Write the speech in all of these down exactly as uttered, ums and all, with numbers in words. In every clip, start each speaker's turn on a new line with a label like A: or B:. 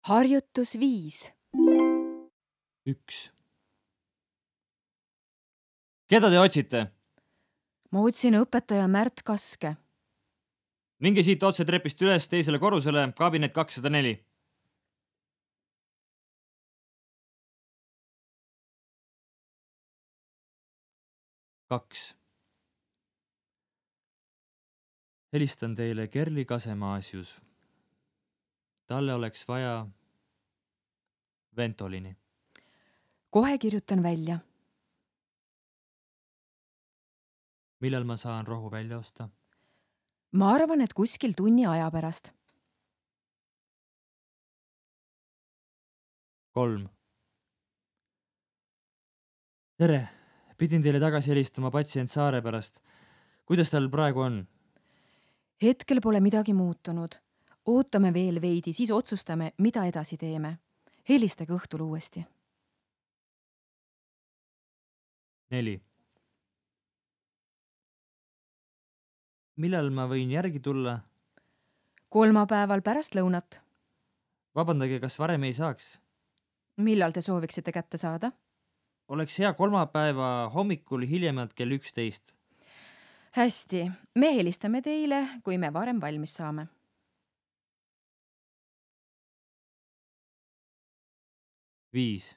A: Harjutus viis.
B: Üks. Keda te otsite?
A: Ma otsin õpetaja Märt Kaske.
B: Minge siit otse trepist üles teisele korrusele, kabinet kakssada neli. Kaks. Helistan teile Kerli Kasemaasius. Talle oleks vaja Ventolini.
A: Kohe kirjutan välja.
B: Millal ma saan rohu välja osta?
A: Ma arvan, et kuskil tunni aja pärast.
B: Kolm. Tere, pidin teile tagasi helistama patsient Saare pärast. Kuidas tal praegu on?
A: Hetkel pole midagi muutunud. Ootame veel veidi, siis otsustame, mida edasi teeme. Helistage õhtul uuesti.
B: Neli. Millal ma võin järgi tulla?
A: Kolmapäeval pärast lõunat.
B: Vabandage, kas varem ei saaks?
A: Millal te sooviksite kätte saada?
B: Oleks hea kolmapäeva hommikul hiljemalt kell üksteist.
A: Hästi, me helistame teile, kui me varem valmis saame.
B: Viis.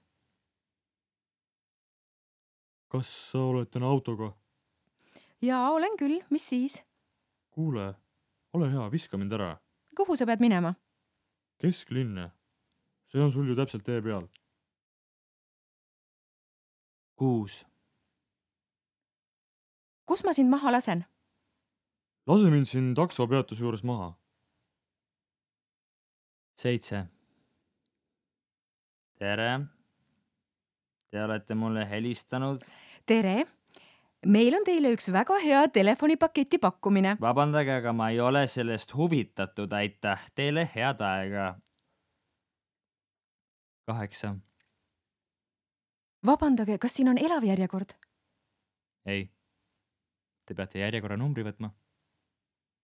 B: Kas sa oled täna autoga?
A: Jaa, olen küll, mis siis?
C: Kuule, ole hea, viska mind ära.
A: Kuhu sa pead minema?
C: Kesklinne. See on sul ju täpselt tee peal.
B: Kuus.
A: Kus ma sind maha lasen?
C: Lase mind siin taksopeatuse juures maha.
B: Seitse. Tere. Te olete mulle helistanud.
A: Tere! Meil on teile üks väga hea telefonipaketi pakkumine.
B: Vabandage, aga ma ei ole sellest huvitatud. Aitäh teile, head aega. Kaheksa.
A: Vabandage, kas siin on elav järjekord?
B: Ei. Te peate järjekorra numbri võtma.